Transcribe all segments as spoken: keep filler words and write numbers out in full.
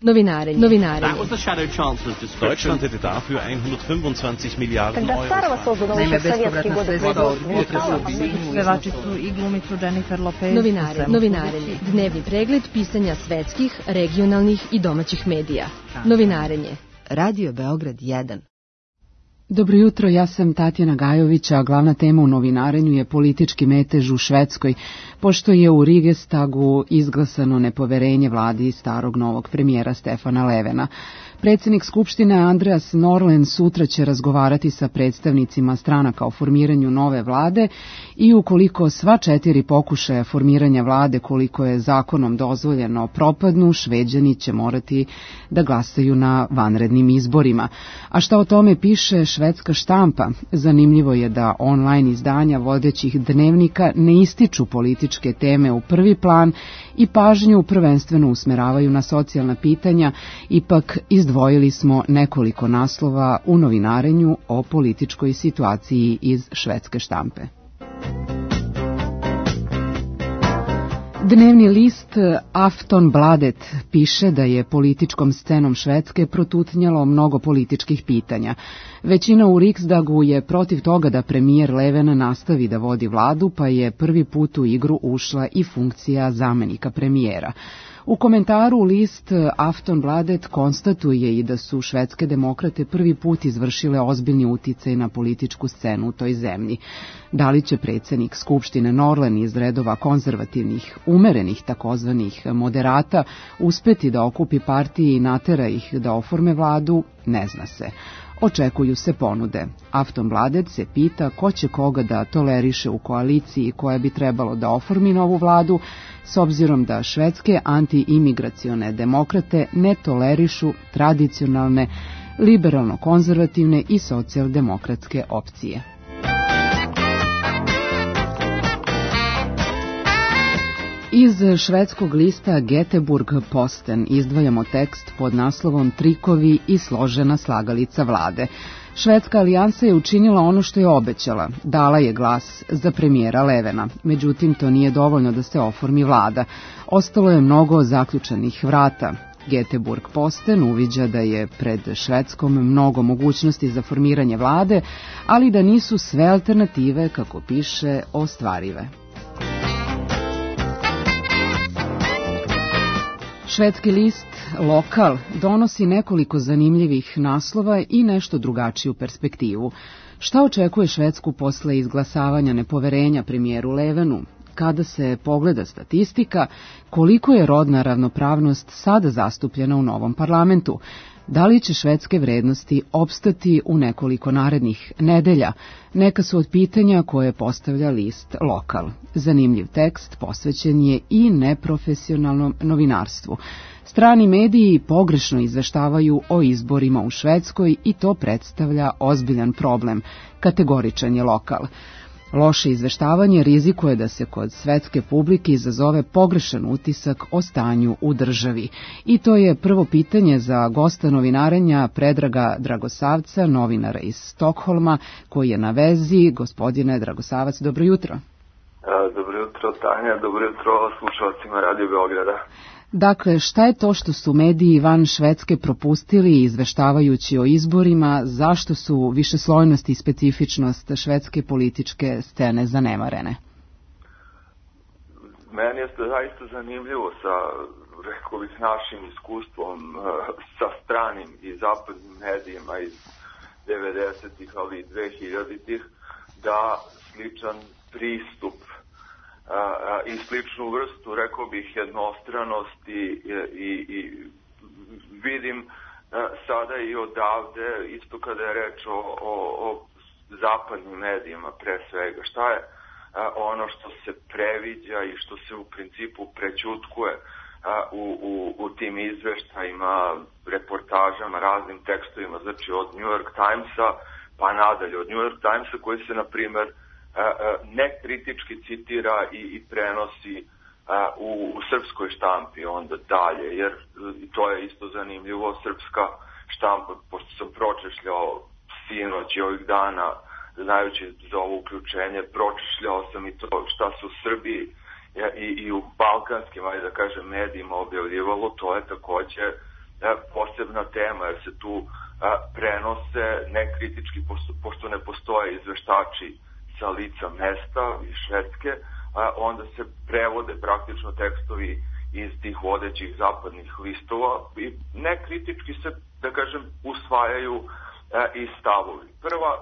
Novinarenje. Novinarenje. That was the Shadow Chancellor's description. Deutschland hätte dafür hundertfünfundzwanzig Milliarden Euro. Naime, bespovratna sredstva upotrebu pevačicu i glumicu Jennifer Lopez. Novinarenje. Novinarenje. Dnevni pregled pisanja svetskih, regionalnih i domaćih medija. Novinarenje. Radio Beograd jedan. Dobro jutro, ja sam Tatjana Gajović, a glavna tema u novinarenju je politički metež u Švedskoj, pošto je u Rigestagu izglasano nepoverenje vladi starog novog premijera Stefana Löfvena. Predsjednik Skupštine Andreas Norlén sutra će razgovarati sa predstavnicima stranaka o formiranju nove vlade i ukoliko sva četiri pokušaja formiranja vlade koliko je zakonom dozvoljeno propadnu, Šveđani će morati da glasaju na vanrednim izborima. A šta o tome piše švedska štampa? Zanimljivo je da online izdanja vodećih dnevnika ne ističu političke teme u prvi plan i pažnju prvenstveno usmeravaju na socijalna pitanja, ipak izdvojili smo nekoliko naslova u novinarenju o političkoj situaciji iz švedske štampe. Dnevni list Aftonbladet piše da je političkom scenom Švedske protutnjalo mnogo političkih pitanja. Većina u Riksdagu je protiv toga da premijer Löfven nastavi da vodi vladu, pa je prvi put u igru ušla i funkcija zamenika premijera. U komentaru list Aftonbladet konstatuje i da su švedske demokrate prvi put izvršile ozbiljni uticaj na političku scenu u toj zemlji. Da li će predsjednik Skupštine Norlén iz redova konzervativnih, umerenih takozvanih moderata uspeti da okupi partije i natera ih da oforme vladu, ne zna se. Očekuju se ponude. Aftonbladet se pita ko će koga da toleriše u koaliciji koja bi trebalo da oformi novu vladu, s obzirom da švedske anti-imigracione demokrate ne tolerišu tradicionalne, liberalno-konzervativne i socijaldemokratske opcije. Iz švedskog lista Göteborgs-Posten izdvajamo tekst pod naslovom Trikovi i složena slagalica vlade. Švedska alijansa je učinila ono što je obećala, dala je glas za premijera Löfvena, međutim to nije dovoljno da se oformi vlada. Ostalo je mnogo zaključanih vrata. Göteborg-Posten uviđa da je pred Švedskom mnogo mogućnosti za formiranje vlade, ali da nisu sve alternative, kako piše, ostvarive. Švedski list Lokal donosi nekoliko zanimljivih naslova i nešto drugačiju perspektivu. Šta očekuje Švedsku posle izglasavanja nepoverenja premijeru Löfvenu? Kada se pogleda statistika, koliko je rodna ravnopravnost sada zastupljena u novom parlamentu? Da li će švedske vrednosti opstati u nekoliko narednih nedelja? Neka su od pitanja koje postavlja list Lokal. Zanimljiv tekst posvećen je i neprofesionalnom novinarstvu. Strani mediji pogrešno izveštavaju o izborima u Švedskoj i to predstavlja ozbiljan problem, kategoričan je Lokal. Loše izveštavanje rizikuje da se kod svetske publike izazove pogrešan utisak o stanju u državi. I to je prvo pitanje za gosta novinarenja Predraga Dragosavca, novinara iz Stokholma, koji je na vezi. Gospodine Dragosavac, dobro jutro. Dobro jutro, Tanja, dobro jutro slušalcima Radio Beograda. Dakle, šta je to što su mediji van Švedske propustili izveštavajući o izborima, zašto su višeslojnost i specifičnost švedske političke scene zanemarene? Meni je zaista zanimljivo sa, rekao bih, našim iskustvom sa stranim i zapadnim medijima iz devedesetih, ali i dvehiljaditih, da sličan pristup i sličnu vrstu, rekao bih, jednostranosti i, i vidim sada i odavde, isto kada je reč o, o, o zapadnim medijima pre svega. Šta je ono što se previđa i što se u principu prećutkuje u, u, u tim izveštajima, reportažama, raznim tekstovima, znači od New York Timesa pa nadalje, od New York Timesa koji se, na primer, ne kritički citira i, i prenosi a, u, u srpskoj štampi onda dalje, jer to je isto zanimljivo, srpska štampa, pošto sam pročešljao sinoć i ovih dana, znajući za ovo uključenje, pročešljao sam i to šta su u Srbiji i, i u balkanskim, ajde da kažem, medijima objavljivalo, to je takođe posebna tema, jer se tu a, prenose nekritički, pošto ne postoje izveštači sa lica mesta iz Švedske, a, onda se prevode praktično tekstovi iz tih vodećih zapadnih listova i nekritički se, da kažem, usvajaju a, i stavovi. Prva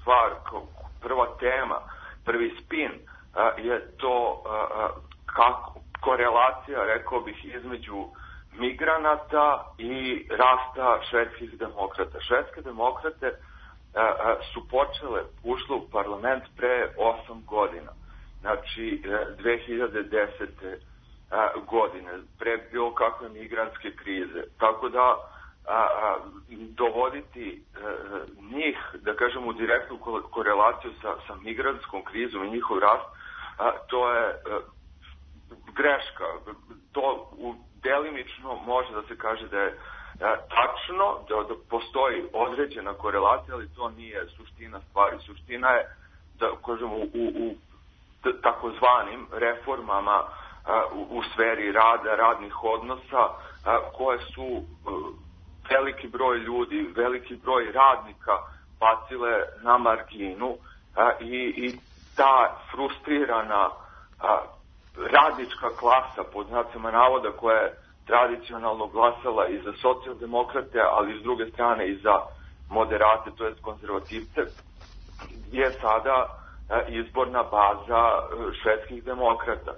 stvar, prva tema, prvi spin a, je to a, kako korelacija, rekao bih, između migranata i rasta švedskih demokrata. Švedske demokrate a, a, su počele, ušle u parlament pre osam godina, znači dve hiljade desete. A, godine, pre bilo kakve migrantske krize. Tako da a, a, dovoditi a, njih, da kažem, u direktnu korelaciju sa, sa migrantskom krizom i njihov rast, a, to je a, greška. To u, delimično može da se kaže da je a, tačno, da, da postoji određena korelacija, ali to nije suština stvari. Suština je, da kažem, u, u, u takozvanim reformama U, u sferi rada, radnih odnosa, a, koje su a, veliki broj ljudi, veliki broj radnika bacile na marginu a, i, i ta frustrirana a, radnička klasa, pod znacima navoda, koja je tradicionalno glasala i za socijaldemokrate, ali s druge strane i za moderate, to jest konzervativce, je sada a, izborna baza a, švedskih demokrata.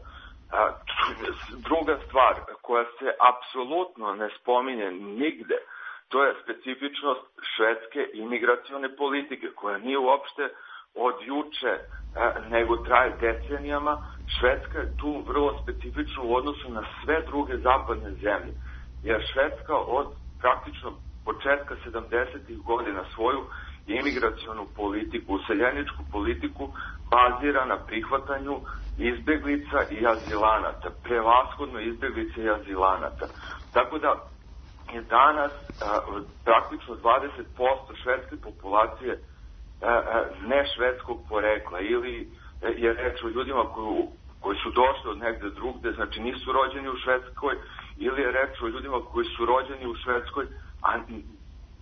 Druga stvar koja se apsolutno ne spominje nigde, to je specifičnost švedske imigracione politike, koja nije uopšte od juče, nego traje decenijama. Švedska je tu vrlo specifična u odnosu na sve druge zapadne zemlje, jer Švedska od praktično početka sedamdesetih godina svoju imigracionu politiku, useljeničku politiku bazira na prihvatanju izbeglica i azilanata, prevashodno izbeglica i azilanata. Tako da je danas a, praktično dvadeset posto švedske populacije a, a, ne švedskog porekla, ili je reč o ljudima koji, koji su došli od negde drugde, znači nisu rođeni u Švedskoj, ili je reč o ljudima koji su rođeni u Švedskoj, a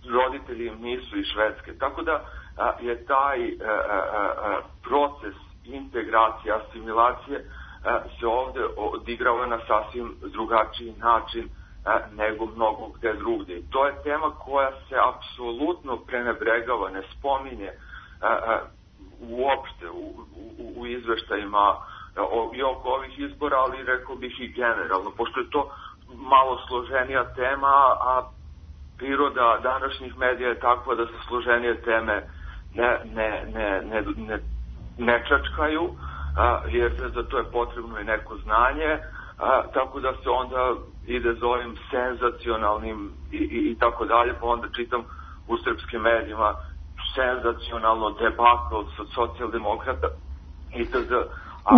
roditelji im nisu iz Švedske. Tako da a, je taj a, a, a, proces integracije, asimilacije a, se ovde odigrava na sasvim drugačiji način a, nego mnogo gde drugde. To je tema koja se apsolutno prenebregava, ne spominje a, a, uopšte u, u, u izveštajima o, i oko ovih izbora, ali rekao bih i generalno, pošto je to malo složenija tema, a priroda današnjih medija je takva da se složenije teme ne, ne, ne, ne, ne, ne čačkaju, a, jer za to je potrebno i neko znanje, a, tako da se onda ide za ovim senzacionalnim i, i, i tako dalje, pa onda čitam u srpskim medijima senzacionalno debakl od socijaldemokrata itd.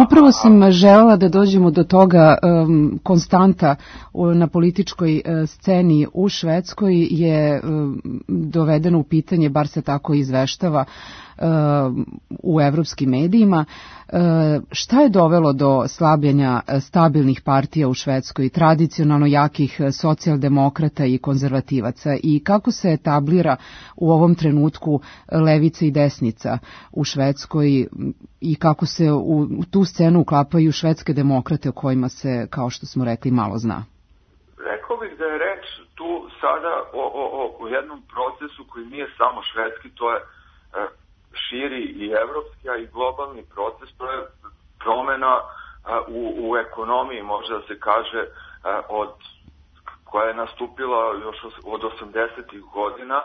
Upravo sam želela da dođemo do toga, um, konstanta na političkoj uh, sceni u Švedskoj je um, dovedeno u pitanje, bar se tako izveštava uh, u evropskim medijima. Uh, šta je dovelo do slabljenja stabilnih partija u Švedskoj, tradicionalno jakih socijaldemokrata i konzervativaca, i kako se etablira u ovom trenutku levica i desnica u Švedskoj i kako se u, u tu scenu uklapaju švedske demokrate o kojima se, kao što smo rekli, malo zna? Rekao bih da je reč tu sada o, o, o jednom procesu koji nije samo švedski, to je e, širi i evropski, a i globalni proces, to je promena e, u, u ekonomiji, može da se kaže, e, od, koja je nastupila još od osamdesetih godina, e,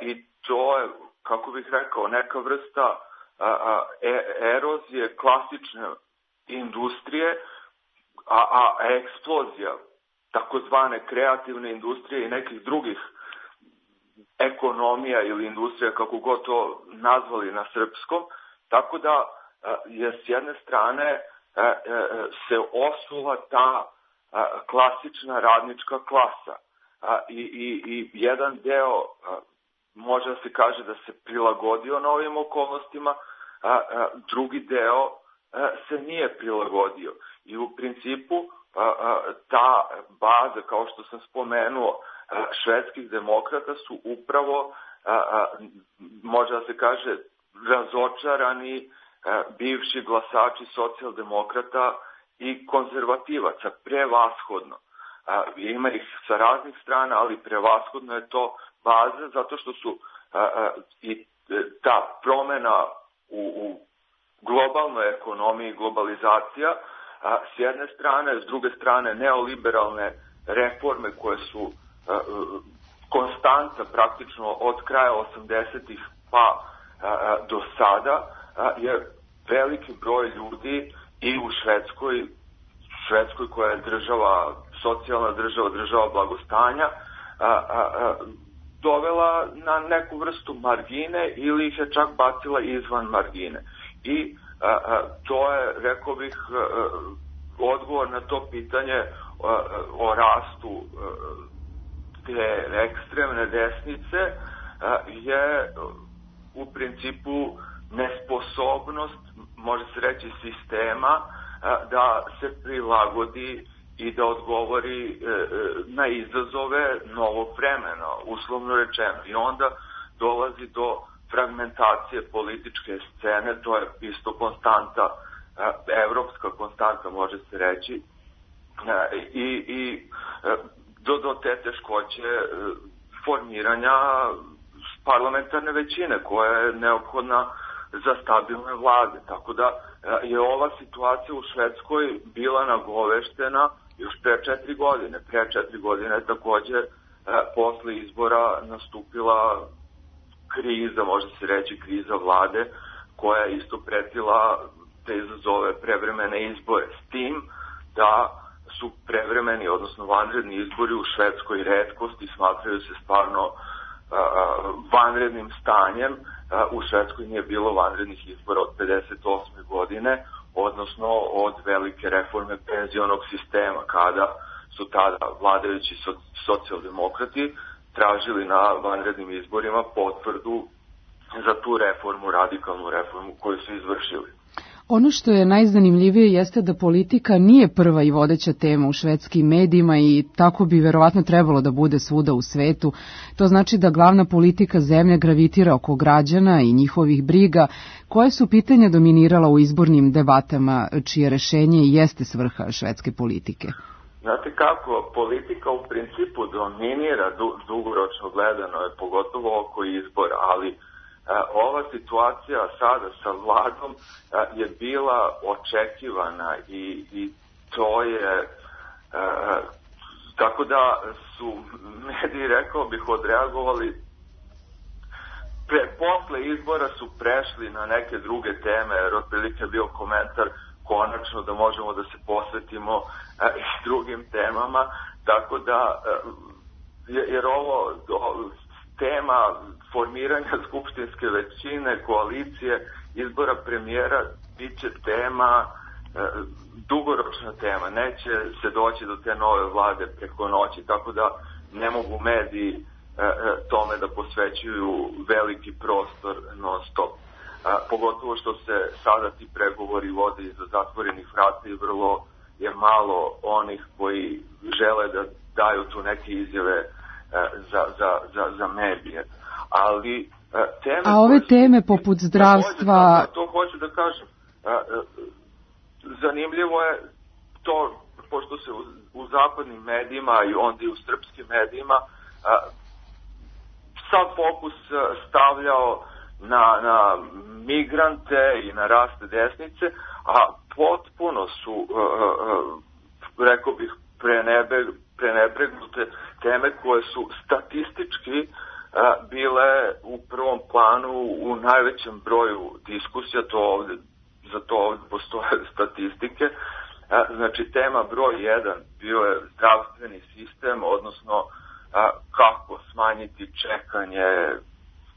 i to je, kako bih rekao, neka vrsta a, a, e, erozije klasične industrije, a, a eksplozija takozvane kreativne industrije i nekih drugih ekonomija ili industrija, kako god to nazvali na srpskom, tako da a, je s jedne strane a, a, se osula ta a, klasična radnička klasa, a, i, i, i jedan deo a, može da se kaže da se prilagodio novim okolnostima, a, a, drugi deo a, se nije prilagodio. I u principu a, a, ta baza, kao što sam spomenuo, švedskih demokrata su upravo, može da se kaže, razočarani bivši glasači socijaldemokrata i konzervativaca, prevashodno. Ima ih sa raznih strana, ali prevashodno je to baza, zato što su i ta promena u, u globalnoj ekonomiji, globalizacija, s jedne strane, s druge strane neoliberalne reforme koje su konstanta praktično od kraja osamdesetih pa do sada, je veliki broj ljudi i u Švedskoj, Švedskoj koja je država, socijalna država, država blagostanja, dovela na neku vrstu margine ili ih je čak bacila izvan margine. I a, a, to je, rekao bih, a, odgovor na to pitanje a, a, o rastu a, te ekstremne desnice a, je u principu nesposobnost, može se reći, sistema a, da se prilagodi i da odgovori e, na izazove novog vremena, uslovno rečeno. I onda dolazi do fragmentacije političke scene, to je isto konstanta, e, evropska konstanta, može se reći, e, i, i e, do, do te teškoće e, formiranja parlamentarne većine koja je neophodna za stabilne vlade. Tako da e, je ova situacija u Švedskoj bila nagoveštena još pre četiri godine. Pre četiri godine je takođe e, posle izbora nastupila kriza, može se reći kriza vlade, koja je isto pretila te izazove prevremene izbore. S tim da su prevremeni, odnosno vanredni izbori u Švedskoj retkost i smatraju se stvarno uh, vanrednim stanjem. Uh, u Švedskoj nije bilo vanrednih izbora od pedeset osme godine, odnosno od velike reforme penzionog sistema, kada su tada vladajući socijaldemokrati tražili na vanrednim izborima potvrdu za tu reformu, radikalnu reformu koju su izvršili. Ono što je najzanimljivije jeste da politika nije prva i vodeća tema u švedskim medijima i tako bi verovatno trebalo da bude svuda u svetu. To znači da glavna politika zemlje gravitira oko građana i njihovih briga. Koje su pitanja dominirala u izbornim debatama, čije rešenje jeste svrha švedske politike? Znate kako, politika u principu dominira du, dugoročno gledano, je pogotovo oko izbora, ali e, ova situacija sada sa vladom e, je bila očekivana i, i to je, e, tako da su mediji, rekao bih, odreagovali, pre, posle izbora su prešli na neke druge teme, jer otprilike je bio komentar konačno da možemo da se posvetimo e, i drugim temama, tako da, e, jer ovo do, tema formiranja skupštinske većine, koalicije, izbora premijera, bit će tema, e, dugoročna tema, neće se doći do te nove vlade preko noći, tako da ne mogu mediji e, tome da posvećuju veliki prostor non stop. A, pogotovo što se sada ti pregovori vode iza zatvorenih vrata i vrlo je malo onih koji žele da daju tu neke izjave a, za, za, za, za medije. Ali a, teme... A ove teme su, poput zdravstva... Takođe, to, to hoću da kažem. A, a, zanimljivo je to, pošto se u, u zapadnim medijima i onda i u srpskim medijima a, sav fokus stavljao na, na migrante i na rast desnice, a potpuno su, uh, uh, rekao bih, prenebe, prenebregnute teme koje su statistički uh, bile u prvom planu u najvećem broju diskusija, to ovde, za to ovde postoje statistike. Uh, znači, tema broj jedan bio je zdravstveni sistem, odnosno uh, kako smanjiti čekanje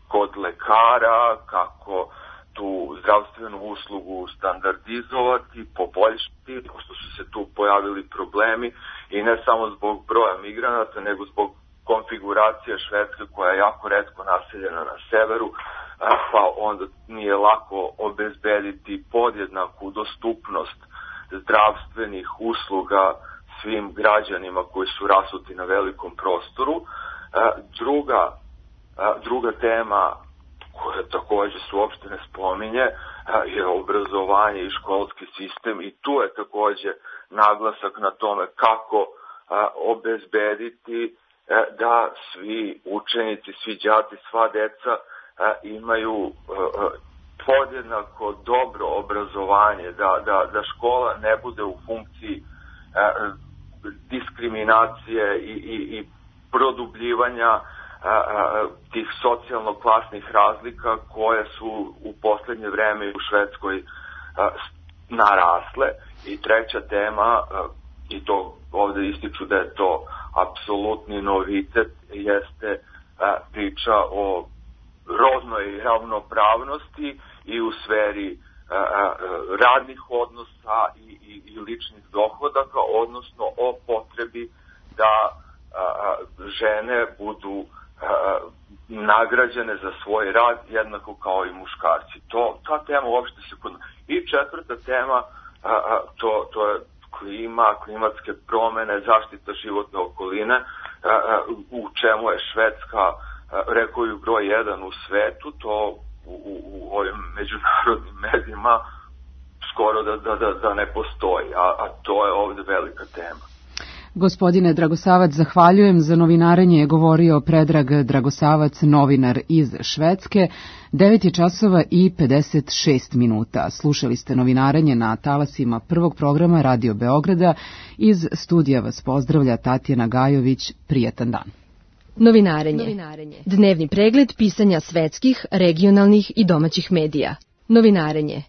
kod lekara, kako tu zdravstvenu uslugu standardizovati, poboljšati, pošto su se tu pojavili problemi i ne samo zbog broja migranata, nego zbog konfiguracije Švedske koja je jako retko naseljena na severu, pa onda nije lako obezbediti podjednaku dostupnost zdravstvenih usluga svim građanima koji su rasuti na velikom prostoru. druga, druga tema koja takođe se uopšte ne spominje je obrazovanje i školski sistem i tu je takođe naglasak na tome kako obezbediti da svi učenici, svi đaci, sva deca imaju podjednako dobro obrazovanje, da, da, da škola ne bude u funkciji diskriminacije i, i, i produbljivanja a, a, tih socijalno-klasnih razlika koje su u poslednje vreme u Švedskoj a, narasle. I treća tema, a, i to ovde ističu da je to apsolutni novitet, jeste a, priča o rodnoj ravnopravnosti i u sferi a, a, radnih odnosa i, i, i ličnih dohodaka, odnosno o potrebi da a, a, žene budu a, nagrađene za svoj rad jednako kao i muškarci. To, ta tema uopšte se kod... I četvrta tema, a, a, to, to je klima, klimatske promene, zaštita životne okoline, a, a, u čemu je Švedska, a, rekao ju broj jedan u svetu, to u, u, u ovim međunarodnim medijima skoro da, da, da, da ne postoji, a, a to je ovde velika tema. Gospodine Dragosavac, zahvaljujem. Za novinarenje je govorio Predrag Dragosavac, novinar iz Švedske. devet je časova i pedeset šest minuta. Slušali ste novinarenje na talasima prvog programa Radio Beograda. Iz studija vas pozdravlja Tatjana Gajović. Prijetan dan. Novinarenje. Novinarenje. Dnevni pregled pisanja svetskih, regionalnih i domaćih medija. Novinarenje.